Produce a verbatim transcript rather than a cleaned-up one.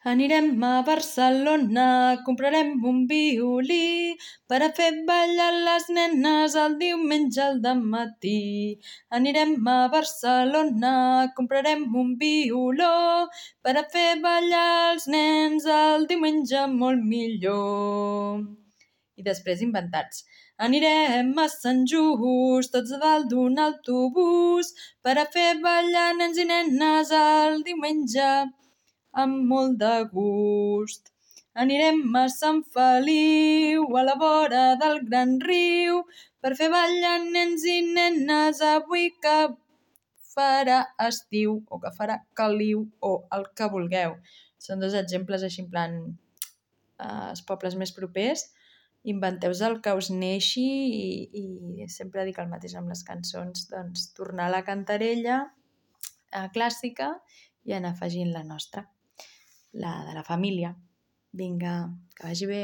Anirem a Barcelona, comprarem un violí per a fer ballar les nenes el diumenge al dematí. Anirem a Barcelona, comprarem un violó per a fer ballar els nens el diumenge molt millor. I després inventats. Anirem a Sant Just, tots a dalt d'un autobús, per a fer ballar nens i nenes el diumenge amb molt de gust. Anirem a Sant Feliu, a la vora del gran riu, per fer ballar nens i nenes avui que farà estiu, o que farà caliu, o el que vulgueu. Són dos exemples així en plan eh, els pobles més propers. Inventeu-vos el que us neixi i, i sempre dic el mateix amb les cançons, doncs tornar a la cantarella eh, clàssica i anar afegint la nostra, la de la família. Vinga, que vagi bé.